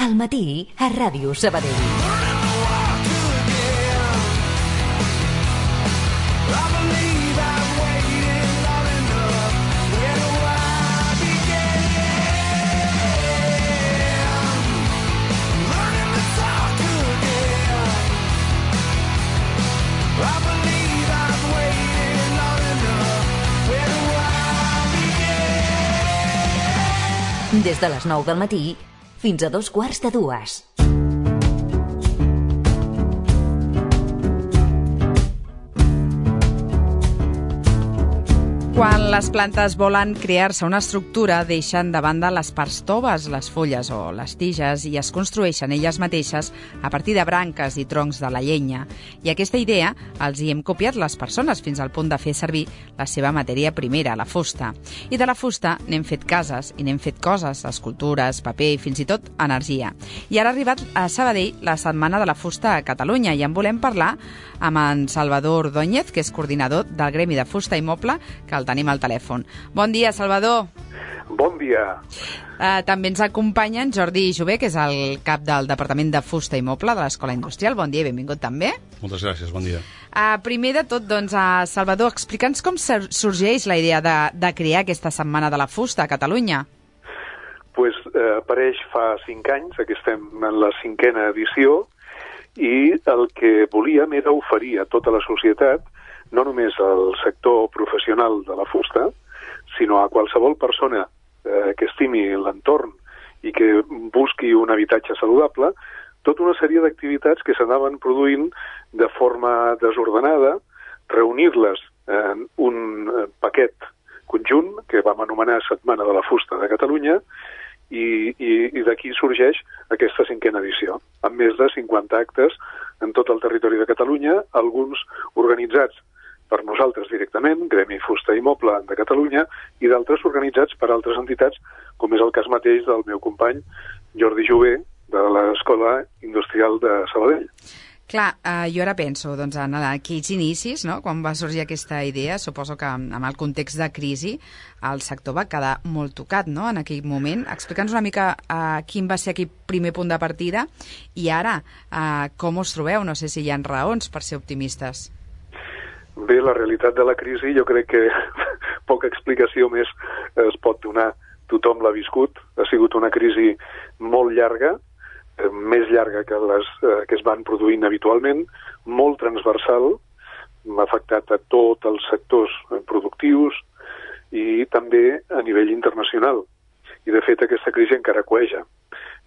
Al matí a Ràdio Sabadell. Des de les 9 del matí fins a 2:45. Quan les plantes volen crear-se una estructura, deixen de banda les parts toves, les fulles o les tiges, i es construeixen elles mateixes a partir de branques i troncs de la llenya. I aquesta idea els hi hem copiat les persones fins al punt de fer servir la seva matèria primera, la fusta. I de la fusta n'hem fet cases i n'hem fet coses, escultures, paper i fins i tot energia. I ara ha arribat a Sabadell la Setmana de la Fusta a Catalunya i en volem parlar amb en Salvador Ordóñez, que és coordinador del Gremi de Fusta i Moble, que el tenim al telèfon. Bon dia, Salvador. Bon dia. També ens acompanya en Jordi Jové, que és el cap del Departament de Fusta i Moble de l'Escola Industrial. Bon dia i benvingut també. Moltes gràcies, bon dia. Primer de tot, doncs, Salvador, explica'ns com sorgeix la idea de crear aquesta Setmana de la Fusta a Catalunya. Pues, apareix fa 5 anys, que estem en la 5a edició, i el que volíem era oferir a tota la societat, no només al sector professional de la fusta, sinó a qualsevol persona que estimi l'entorn i que busqui un habitatge saludable, tota una sèrie d'activitats que s'anaven produint de forma desordenada, reunir-les en un paquet conjunt que vam anomenar Setmana de la Fusta de Catalunya, i d'aquí sorgeix aquesta 5a edició, amb més de 50 actes en tot el territori de Catalunya, alguns organitzats per nosaltres directament, Gremi Fusta i Moble de Catalunya, i d'altres organitzats per altres entitats, com és el cas mateix del meu company Jordi Jové, de l'Escola Industrial de Sabadell. Clar, jo ara penso doncs, en aquells inicis, no? Quan va sorgir aquesta idea, suposo que amb el context de crisi el sector va quedar molt tocat, no?, en aquell moment. Explica'ns una mica quin va ser aquell primer punt de partida i ara com us trobeu? No sé si hi ha raons per ser optimistes. Bé, la realitat de la crisi jo crec que poca explicació més es pot donar. Tothom l'ha viscut, ha sigut una crisi molt llarga, més llarga que les que es van produint habitualment, molt transversal, ha afectat a tots els sectors productius i també a nivell internacional. I, de fet, aquesta crisi encara cueja.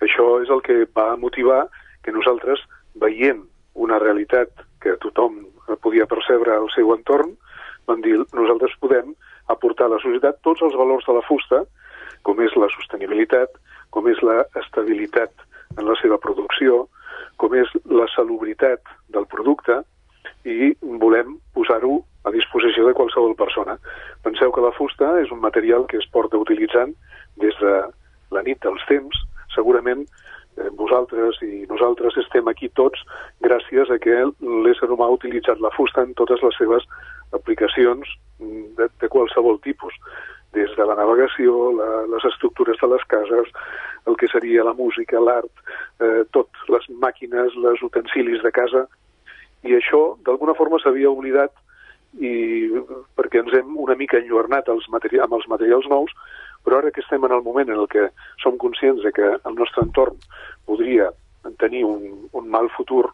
Això és el que va motivar que nosaltres, veient una realitat que tothom podia percebre al seu entorn, vam dir, nosaltres podem aportar a la societat tots els valors de la fusta, com és la sostenibilitat, com és la estabilitat en la seva producció, com és la salubritat del producte, i volem posar-ho a disposició de qualsevol persona. Penseu que la fusta és un material que es porta utilitzant des de la nit dels temps. Segurament vosaltres i nosaltres estem aquí tots gràcies a que l'ésser humà ha utilitzat la fusta en totes les seves aplicacions de qualsevol tipus, des de la navegació, les estructures de les cases, el que seria la música, l'art, tot, les màquines, els utensilis de casa, i això d'alguna forma s'havia oblidat perquè ens hem una mica enlluernat amb els materials nous, però ara que estem en el moment en el que som conscients de que el nostre entorn podria tenir un mal futur,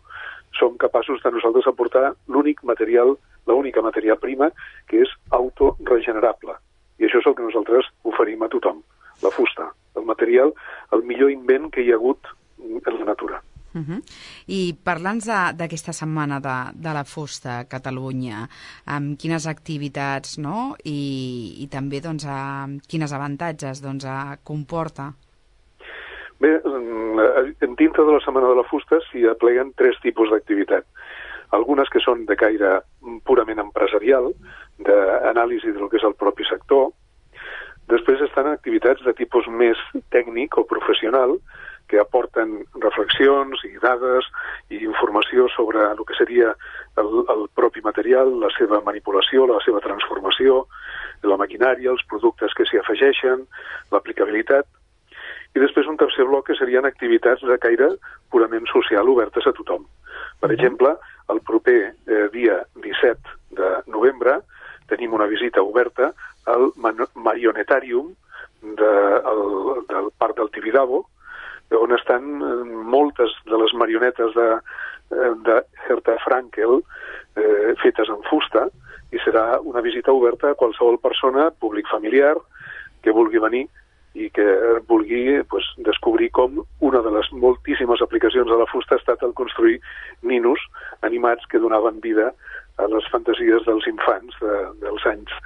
som capaços de nosaltres aportar l'única matèria prima que és autoregenerable. I això és el que nosaltres oferim a tothom, la fusta, el material, el millor invent que hi ha hagut en la natura. I parlant d'aquesta Setmana de la Fusta a Catalunya, amb quines activitats, no?, i també doncs, quins avantatges comporta? Bé, dintre de la Setmana de la Fusta s'hi apleguen 3 tipus d'activitat. Algunes que són de caire purament empresarial, d'anàlisi del que és el propi sector. Després estan activitats de tipus més tècnic o professional, que aporten reflexions i dades i informació sobre el que seria el propi material, la seva manipulació, la seva transformació, la maquinària, els productes que s'hi afegeixen, l'aplicabilitat. I i després un tercer bloc que serien activitats de caire purament social obertes a tothom. Per exemple, el proper dia 17 de novembre tenim una visita oberta al Marionetàrium del Parc del Tibidabo, on estan moltes de les marionetes de Herta Frankel fetes en fusta, i serà una visita oberta a qualsevol persona, públic familiar, que vulgui venir i que vulgui descobrir com una de les moltíssimes aplicacions de la fusta ha estat el construir ninos animats que donaven vida a les fantasies dels infants dels anys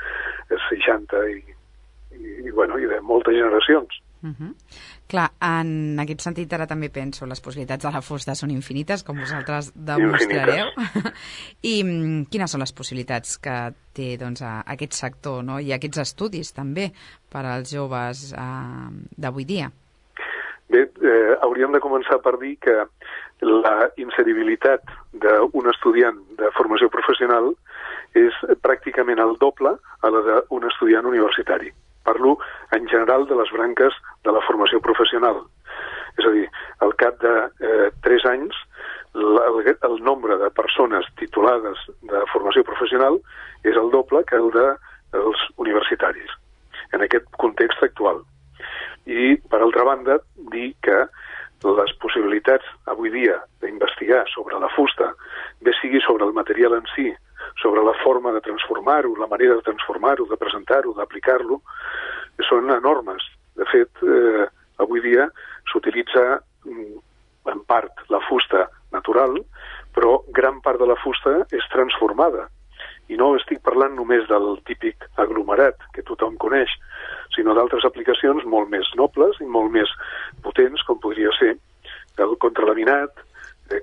60 i de moltes generacions. Clar, en aquest sentit ara també penso, les possibilitats de la fusta són infinites, com vosaltres demostrareu. I quines són les possibilitats que té aquest sector, no? I aquests estudis també per als joves d'avui dia? Bé, hauríem de començar per dir que la inseribilitat d'un estudiant de formació professional és pràcticament el doble a la d'un estudiant universitari. Parlo en general de les branques de la formació professional. És a dir, al cap de 3 anys, el nombre de persones titulades de formació professional és el doble que el dels universitaris, en aquest context actual. I, per altra banda, dir que les possibilitats avui dia d'investigar sobre la fusta, bé sigui sobre el material en si, sobre la forma de transformar-ho, la manera de transformar-ho, de presentar-ho, d'aplicar-lo, són enormes. De fet, avui dia s'utilitza en part la fusta natural, però gran part de la fusta és transformada. I no estic parlant només del típic aglomerat que tothom coneix, sinó d'altres aplicacions molt més nobles i molt més potents, com podria ser el contralaminat,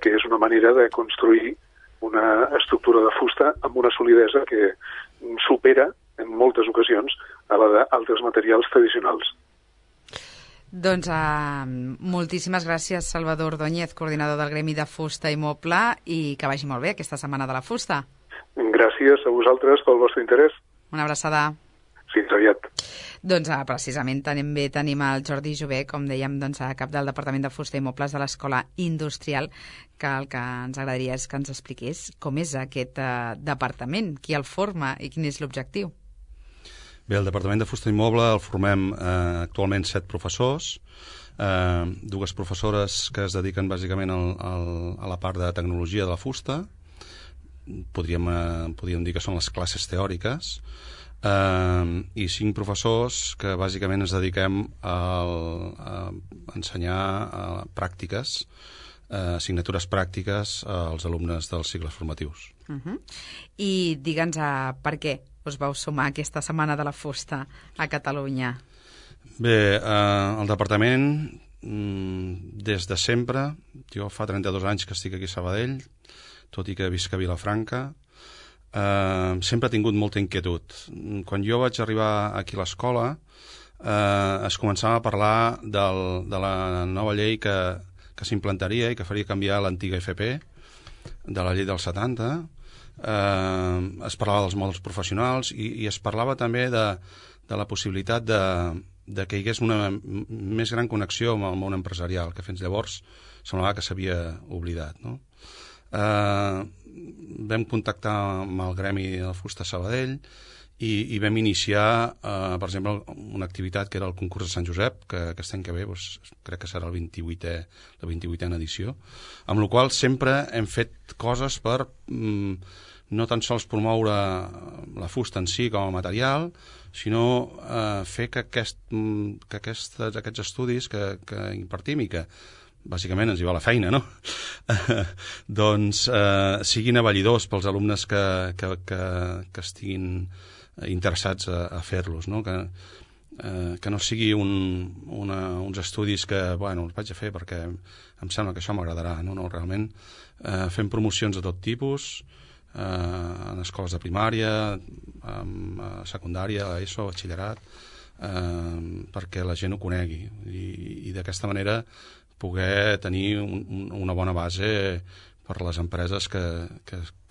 que és una manera de construir una estructura de fusta amb una solidesa que supera en moltes ocasions a la d'altres materials tradicionals. Doncs moltíssimes gràcies, Salvador Ordóñez, coordinador del Gremi de Fusta i Moble, i que vagi molt bé aquesta Setmana de la Fusta. Gràcies a vosaltres pel vostre interès. Una abraçada. Fins aviat. Doncs precisament tenim el Jordi Jové, com dèiem, cap del Departament de Fusta i Mobles de l'Escola Industrial, que el que ens agradaria és que ens expliqués com és aquest departament, qui el forma i quin és l'objectiu. Bé, el Departament de Fusta i Moble el formem actualment 7 professors, 2 professores que es dediquen bàsicament a la part de tecnologia de la fusta, podríem dir que són les classes teòriques, i 5 professors que bàsicament ens dediquem a ensenyar pràctiques, assignatures pràctiques als alumnes dels cicles formatius. I digue'ns per què us vau sumar aquesta Setmana de la Fusta a Catalunya? Bé, el departament des de sempre, jo fa 32 anys que estic aquí a Sabadell, tot i que visc a Vilafranca, sempre ha tingut molta inquietud. Quan jo vaig arribar aquí a l'escola es començava a parlar de la nova llei que s'implantaria i que faria canviar l'antiga FP, de la llei del 70. Es parlava dels mòduls professionals i es parlava també de la possibilitat de que hi hagués una més gran connexió amb el món empresarial, que fins llavors semblava que s'havia oblidat, no? Vam contactar amb el Gremi de la Fusta Sabadell i vam iniciar, per exemple, una activitat que era el concurs de Sant Josep, que aquest any que ve crec que serà la 28a edició, amb la qual sempre hem fet coses per no tan sols promoure la fusta en si com a material, sinó fer que aquests estudis que impartim i que bàsicament ens hi va la feina, no? Doncs siguin avallidors pels alumnes que estiguin interessats a fer-los, no? Que no sigui uns estudis que, bueno, els vaig a fer perquè em sembla que això m'agradarà, no? Realment fem promocions de tot tipus, en escoles de primària, secundària, ESO, batxillerat, perquè la gent ho conegui i d'aquesta manera poder tenir una bona base per les empreses que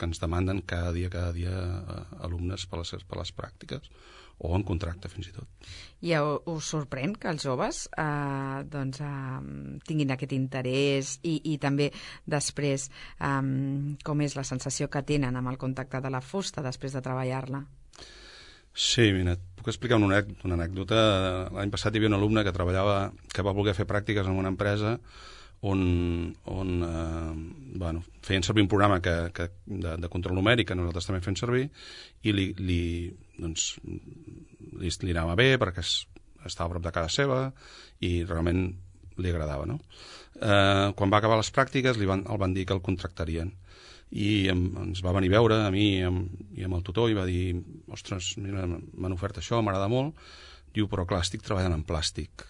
ens demanden cada dia alumnes per les pràctiques o en contracte fins i tot. I us sorprèn que els joves tinguin aquest interès i també després com és la sensació que tenen amb el contacte de la fusta després de treballar-la? Sí, mira, et puc explicar una anècdota. L'any passat hi havia un alumne que va voler fer pràctiques en una empresa on feien servir un programa de control numèric que nosaltres també fem servir i li anava bé perquè estava a prop de casa seva i realment li agradava, no? Quan va acabar les pràctiques el van dir que el contractarien i ens va venir a veure a mi i amb el tutor i va dir, ostres, mira, m'han ofert això, m'agrada molt. Diu, però clar, estic treballant en plàstic.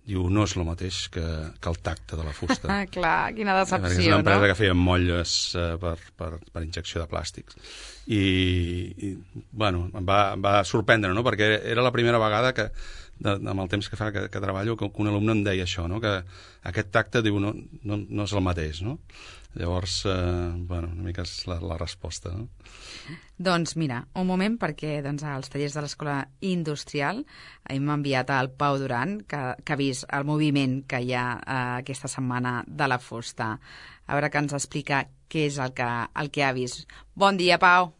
Diu, no és el mateix que el tacte de la fusta. Clar, quina decepció, no? Perquè és una empresa que feia molles per injecció de plàstics. I bueno, em va sorprendre, no? Perquè era la primera vegada que, amb el temps que fa que treballo, que un alumne em deia això, no? Que aquest tacte, diu, no és el mateix, no? Llavors, una mica és la resposta, no? Doncs mira, un moment perquè als tallers de l'Escola Industrial hem enviat al Pau Duran, que ha vist el moviment que hi ha aquesta setmana de la fusta. A veure que ens explica què és el que ha vist. Bon dia, Pau.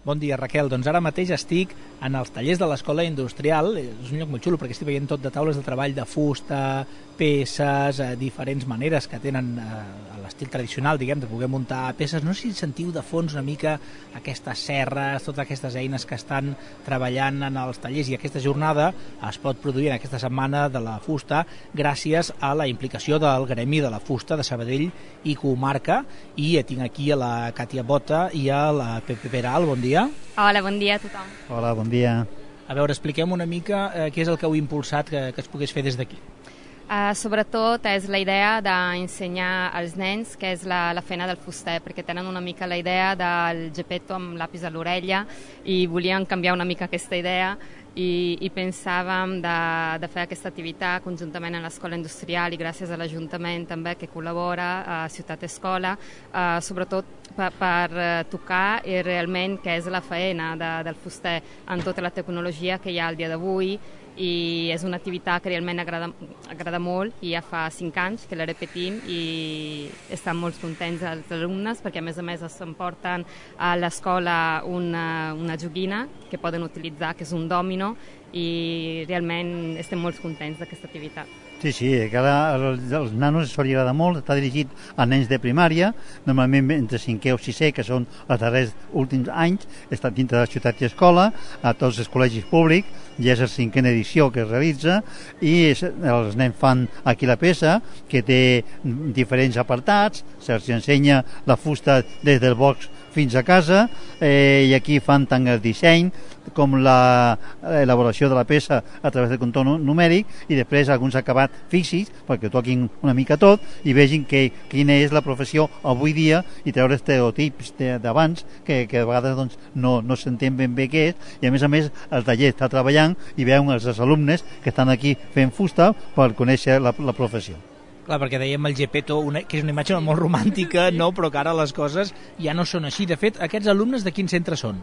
Bon dia, Raquel. Doncs ara mateix estic en els tallers de l'Escola Industrial. És un lloc molt xulo perquè estic veient tot de taules de treball de fusta, peces, diferents maneres que tenen a l'estil tradicional, diguem, de poder muntar peces. No sé si sentiu de fons una mica aquestes serres, totes aquestes eines que estan treballant en els tallers, i aquesta jornada es pot produir en aquesta setmana de la fusta gràcies a la implicació del Gremi de la Fusta de Sabadell i comarca, i tinc aquí a la Càtia Bota i a la Pepe Peral. Bon dia. Hola, bon dia a tothom. Hola, bon dia. A veure, expliquem una mica què és el que heu impulsat que es pogués fer des d'aquí. Sobretot és la idea d'ensenyar als nens què és la feina del fuster, perquè tenen una mica la idea del Geppetto amb l'apis a l'orella i volien canviar una mica aquesta idea i pensàvem de fer aquesta activitat conjuntament a l'Escola Industrial i gràcies a l'Ajuntament també que col·labora a Ciutat Escola, sobretot per tocar realment què és la feina del fuster en tota la tecnologia que hi ha al dia d'avui, i és una activitat que realment agrada molt i ja fa 5 anys que la repetim i estan molt contents els alumnes perquè a més es emporten a l'escola una joguina que poden utilitzar, que és un dòmino, i realment estem molt contents d'aquesta activitat. Sí, els nanos s'ho agrada molt, està dirigit a nens de primària, normalment entre 5è o 6è, que són els darrers últims anys, està dintre de la ciutat i escola, a tots els col·legis públics, ja és la 5a edició que es realitza, i els nens fan aquí la peça, que té diferents apartats, se'ls ensenya la fusta des del box fins a casa, i aquí fan tant el disseny com l'elaboració de la peça a través del control numèric, i després alguns acabats físics perquè toquin una mica tot i vegin quina és la professió avui dia i treure estereotips d'abans que a vegades no s'entén ben bé què és, i a més el taller està treballant i veuen els alumnes que estan aquí fent fusta per conèixer la professió. Clar, perquè dèiem el Geppetto, que és una imatge molt romàntica, no? Però que ara les coses ja no són així. De fet, aquests alumnes de quin centre són?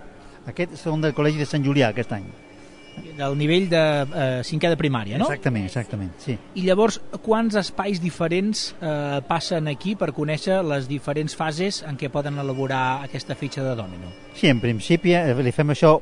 Aquests són del Col·legi de Sant Julià aquest any. Del nivell de 5è de primària, no? Exactament, sí. I llavors, quants espais diferents passen aquí per conèixer les diferents fases en què poden elaborar aquesta fitxa de dòmino? Sí, en principi li fem això,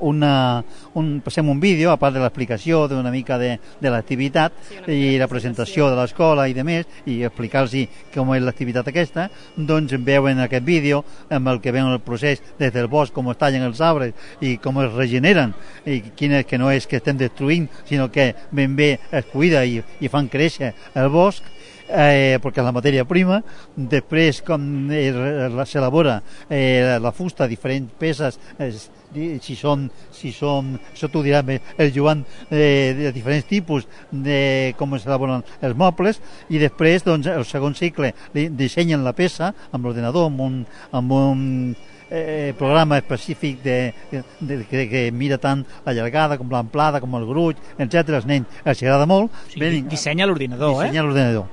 passem un vídeo, a part de l'explicació d'una mica de l'activitat i la presentació de l'escola i de més, i explicar-los com és l'activitat aquesta, doncs veuen aquest vídeo amb el que veuen el procés des del bosc, com es tallen els arbres i com es regeneren, i quin és que no és que estem destruint, sinó que ben bé es cuida i fan créixer el bosc, perquè és la matèria prima. Després, com s'elabora la fusta, diferents peces, si són això t'ho dirà el Joan, de diferents tipus, de com s'elaboren els mobles, i després el segon cicle dissenyen la peça amb l'ordenador, amb un programa específic que mira tant la llargada com l'amplada com el gruix, etc. Els nens els agrada molt. O sigui, dissenya l'ordinador,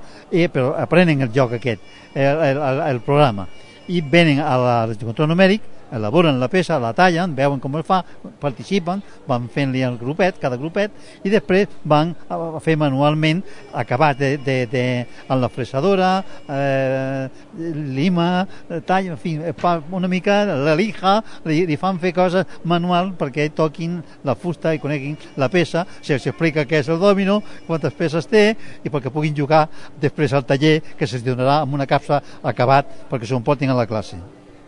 però aprenen el joc aquest, el programa, i venen al control numèric, elaboren la peça, la tallen, veuen com es fa, participen, van fent-li el grupet, cada grupet, i després van a fer manualment acabat en la fresadora, lima, tall, en fi, una mica la lija, li fan fer coses manual perquè toquin la fusta i coneguin la peça, se'ls explica què és el dòmino, quantes peces té, i perquè puguin jugar després al taller, que se'ls donarà amb una capsa acabat perquè s'ho emportin a la classe.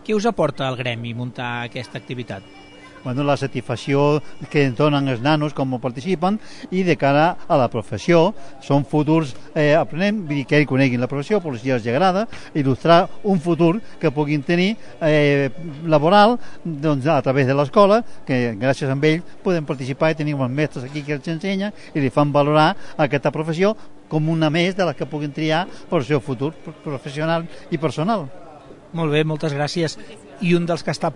Què us aporta al gremi muntar aquesta activitat? Bueno, la satisfacció que ens donen els nanos com participen, i de cara a la professió són futurs aprenents, vull dir que ells coneguin la professió, però si els agrada il·lustrar un futur que puguin tenir laboral, doncs, a través de l'escola, que gràcies a ells podem participar i tenim els mestres aquí que els ensenyen i li fan valorar aquesta professió com una més de les que puguin triar per al seu futur professional i personal. Molt bé, moltes gràcies. I un dels que està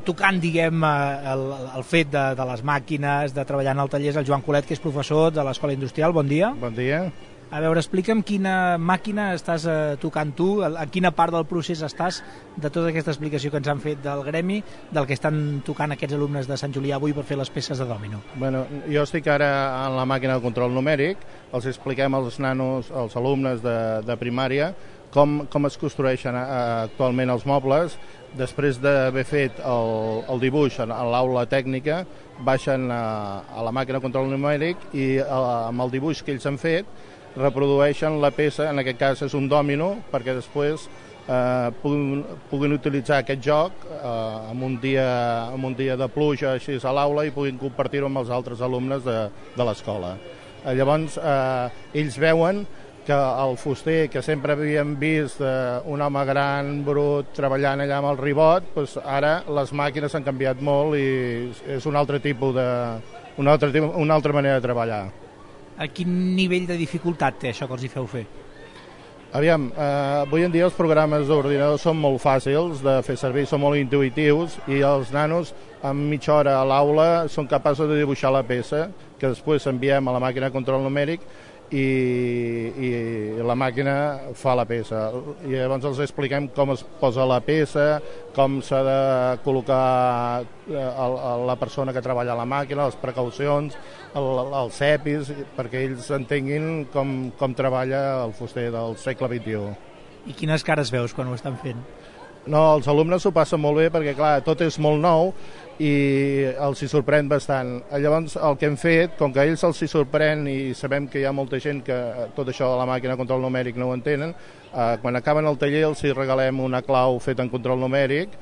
tocant, diguem, el fet de les màquines, de treballar en el taller, és el Joan Colet, que és professor de l'Escola Industrial. Bon dia. Bon dia. A veure, explica'm quina màquina estàs tocant tu, a quina part del procés estàs de tota aquesta explicació que ens han fet del gremi, del que estan tocant aquests alumnes de Sant Julià avui per fer les peces de dòmino. Bueno, jo estic ara en la màquina de control numèric, els expliquem als nanos, als alumnes de primària, com es construeixen actualment els mobles. Després d'haver fet el dibuix a l'aula tècnica, baixen a la màquina de control numèric i amb el dibuix que ells han fet reprodueixen la peça, en aquest cas és un dòmino, perquè després puguin utilitzar aquest joc en un dia de pluja així a l'aula i puguin compartir-ho amb els altres alumnes de l'escola. Llavors ells veuen que el fuster, que sempre havíem vist un home gran, brut, treballant allà amb el ribot, doncs ara les màquines han canviat molt i és un altre tipus una altra manera de treballar. A quin nivell de dificultat té això que els hi feu fer? Aviam, avui en dia els programes d'ordinador són molt fàcils de fer servir, són molt intuïtius i els nanos en mitja hora a l'aula són capaços de dibuixar la peça que després enviem a la màquina de control numèric i la màquina fa la peça. I llavors els expliquem com es posa la peça, com s'ha de col·locar la persona que treballa a la màquina, les precaucions, els cepis, perquè ells entenguin com treballa el fuster del segle XXI. I quines cares veus quan ho estan fent? No, els alumnes s'ho passen molt bé perquè, clar, tot és molt nou i els hi sorprèn bastant. Llavors, el que hem fet, com que a ells els hi sorprèn i sabem que hi ha molta gent que tot això de la màquina de control numèric no ho entenen, quan acaben el taller els hi regalem una clau feta en control numèric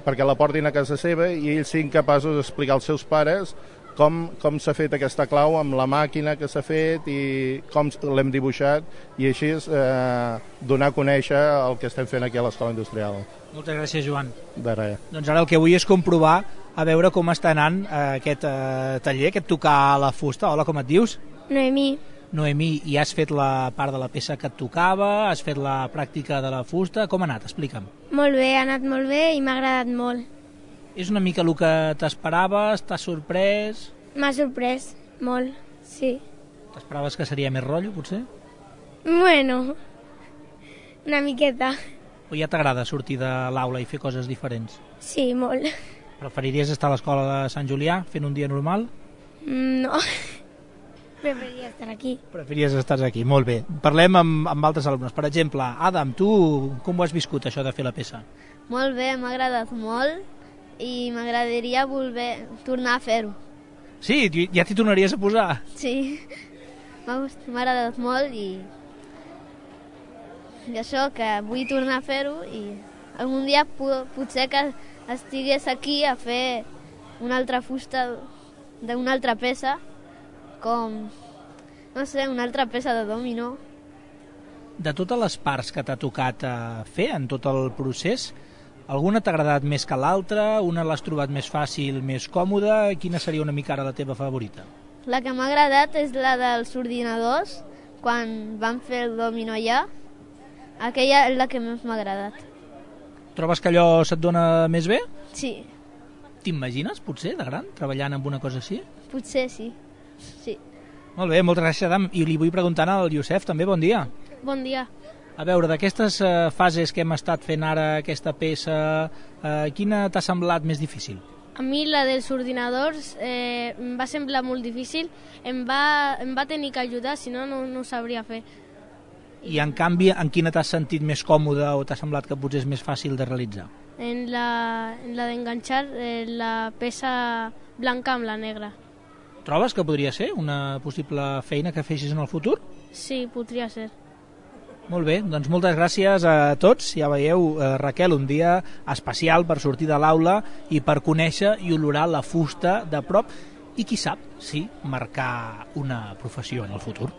perquè la portin a casa seva i ells siguin capaços d'explicar als seus pares com s'ha fet aquesta clau amb la màquina que s'ha fet i com l'hem dibuixat i així donar a conèixer el que estem fent aquí a l'Escola Industrial. Moltes gràcies, Joan. De res. Doncs ara el que vull és comprovar a veure com està anant aquest taller, aquest tocar la fusta. Hola, com et dius? Noemí. Noemí, i has fet la part de la peça que et tocava, has fet la pràctica de la fusta, com ha anat? Explica'm. Molt bé, ha anat molt bé i m'ha agradat molt. És una mica el que t'esperaves? T'has sorprès? M'ha sorprès molt, sí. T'esperaves que seria més rotllo, potser? Bueno, una miqueta. O ja t'agrada sortir de l'aula i fer coses diferents? Sí, molt. Preferiries estar a l'escola de Sant Julià fent un dia normal? No, preferiria estar aquí. Preferiries estar aquí, molt bé. Parlem amb altres alumnes. Per exemple, Adam, tu com ho has viscut, això de fer la peça? Molt bé, m'ha agradat molt i m'agradaria tornar a fer-ho. Sí? Ja t'hi tornaries a posar? Sí, m'ha agradat molt i això, que vull tornar a fer-ho i algun dia potser que estigués aquí a fer una altra fusta d'una altra peça, com, no sé, una altra peça de dòmino. De totes les parts que t'ha tocat fer en tot el procés, alguna t'ha agradat més que l'altra? Una l'has trobat més fàcil, més còmoda? Quina seria una mica ara la teva favorita? La que m'ha agradat és la dels ordinadors, quan vam fer el dòmino allà. Aquella és la que més m'ha agradat. Trobes que allò se't dona més bé? Sí. T'imagines, potser, de gran, treballant amb una cosa així? Potser sí. Sí. Molt bé, moltes gràcies, Adam. I li vull preguntar al Youssef també, bon dia. Bon dia. A veure, d'aquestes fases que hem estat fent ara, aquesta peça, quina t'ha semblat més difícil? A mi la dels ordinadors em va semblar molt difícil, em va tenir que ajudar, si no, no ho sabria fer. I en canvi, en quina t'has sentit més còmode o t'ha semblat que potser és més fàcil de realitzar? En la d'enganxar la peça blanca amb la negra. Trobes que podria ser una possible feina que feixis en el futur? Sí, podria ser. Molt bé, doncs moltes gràcies a tots. Ja veieu, Raquel, un dia especial per sortir de l'aula i per conèixer i olorar la fusta de prop i, qui sap, sí, marcar una professió en el futur.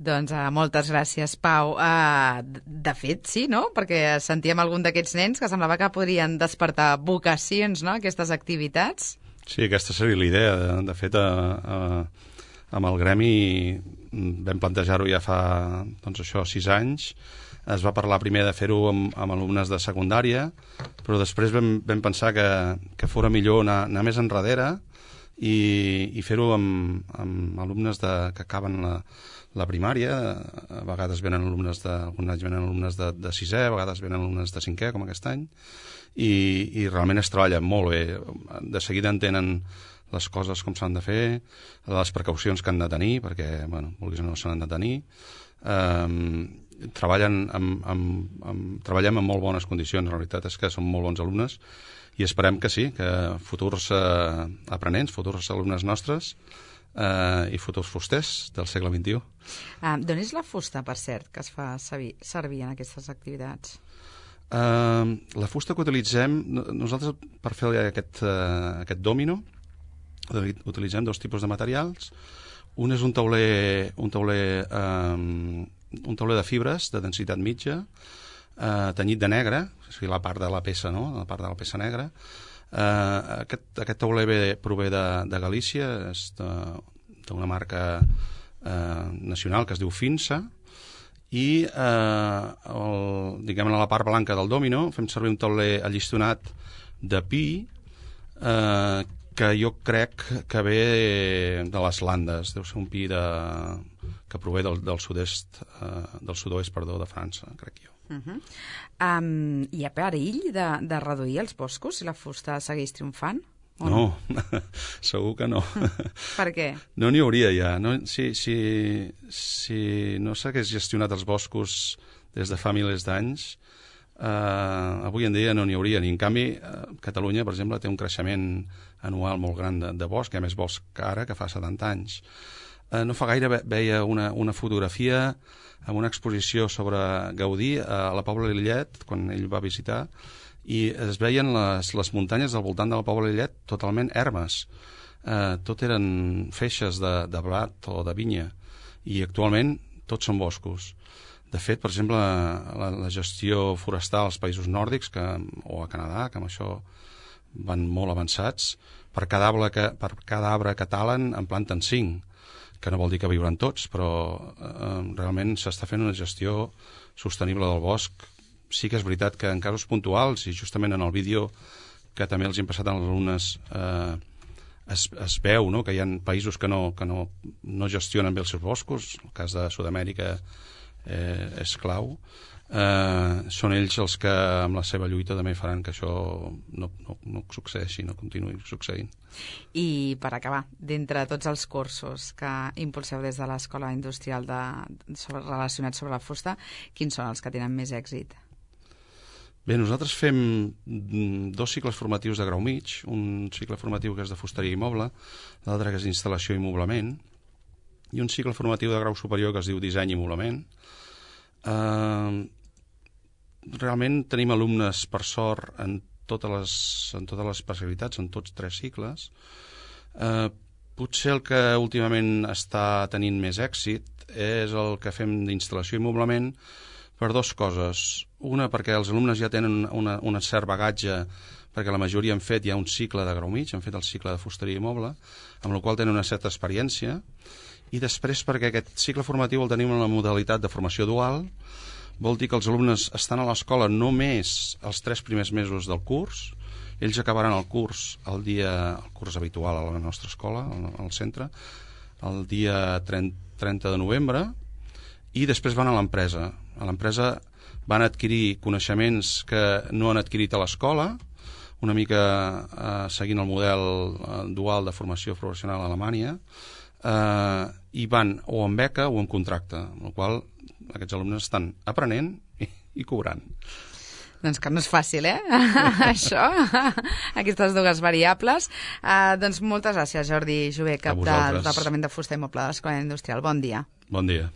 Doncs moltes gràcies, Pau. De fet, sí, no? Perquè sentíem algun d'aquests nens que semblava que podrien despertar vocacions, no?, aquestes activitats. Sí, aquesta seria la idea. De fet, amb el gremi vam plantejar-ho ja fa, doncs això, 6 anys. Es va parlar primer de fer-ho amb alumnes de secundària, però després vam pensar que fora millor anar més enrere i fer-ho amb alumnes que acaben la primària. A vegades venen alumnes de 6è, a vegades venen alumnes de 5è, com aquest any, i realment es treballa molt bé. De seguida entenen les coses com s'han de fer, les precaucions que han de tenir, perquè, bueno, vulguis o no, s'han de tenir. Treballem en molt bones condicions. La veritat és que són molt bons alumnes i esperem que sí, que futurs aprenents, futurs alumnes nostres i futurs fusters del segle XXI. D'on és la fusta, per cert, que es fa servir en aquestes activitats? La fusta que utilitzem, nosaltres per fer aquest dòmino, utilitzem 2 tipus de materials. Un és un tauler de fibres de densitat mitja, tenyit de negre, o sigui, la part de la peça, no?, la part de la peça negra. Aquest tauler prové de Galícia, és d'una marca nacional que es diu Finsa, i diguem, a la part blanca del dòmino fem servir un tauler allistonat de pi, que jo crec que ve de les Landes, deu ser un pi que prové del sud-oest de França, crec jo. Hi ha perill de reduir els boscos si la fusta segueix triomfant? No, segur que no. Per què? No n'hi hauria ja. Si no s'hagués gestionat els boscos des de fa milers d'anys, avui en dia no n'hi hauria. I en canvi, Catalunya, per exemple, té un creixement anual molt gran de bosc, hi ha més bosc que ara, que fa 70 anys. No fa gaire veia una fotografia amb una exposició sobre Gaudí a la Pobla de Lillet, quan ell va visitar, i es veien les muntanyes del voltant de la Pobla de Lillet totalment ermes. Tot eren feixes de blat o de vinya, i actualment tots són boscos. De fet, per exemple, la gestió forestal als països nòrdics o a Canadà, que amb això van molt avançats, per cada arbre que talen en planten 5, que no vol dir que viuran tots, però realment s'està fent una gestió sostenible del bosc. Sí que és veritat que en casos puntuals, i justament en el vídeo que també els hem passat als alumnes, es veu, no?, que hi ha països que no gestionen bé els seus boscos. El cas de Sud-amèrica és clau. Són ells els que amb la seva lluita també faran que això no succeeixi, no continuï succeint. I per acabar, d'entre tots els cursos que impulseu des de l'Escola Industrial relacionats sobre la fusta, quins són els que tenen més èxit? Bé, nosaltres fem 2 cicles formatius de grau mig, un cicle formatiu que és de fusteria i moble, l'altre que és d'instal·lació i moblament, i un cicle formatiu de grau superior que es diu disseny i moblament. Realment tenim alumnes, per sort, en totes les especialitats, en tots 3 cicles. Potser el que últimament està tenint més èxit és el que fem d'instal·lació i moblament, per 2 coses. Una, perquè els alumnes ja tenen un cert bagatge, perquè la majoria han fet ja un cicle de grau mig, han fet el cicle de fusteria i moble, amb la qual tenen una certa experiència, i després perquè aquest cicle formatiu el tenim en la modalitat de formació dual. Vol dir que els alumnes estan a l'escola només els 3 primers mesos del curs. Ells acabaran el curs habitual a la nostra escola, al centre, el dia 30 de novembre, i després van a l'empresa. A l'empresa van adquirir coneixements que no han adquirit a l'escola, una mica seguint el model dual de formació professional a Alemanya, i van o amb beca o amb contracte, amb la qual aquests alumnes estan aprenent i cobrant. Doncs que no és fàcil, això, aquestes dues variables. Doncs moltes gràcies, Jordi Jové, cap del Departament de Fusta i Moble de l'Escola Industrial. Bon dia. Bon dia.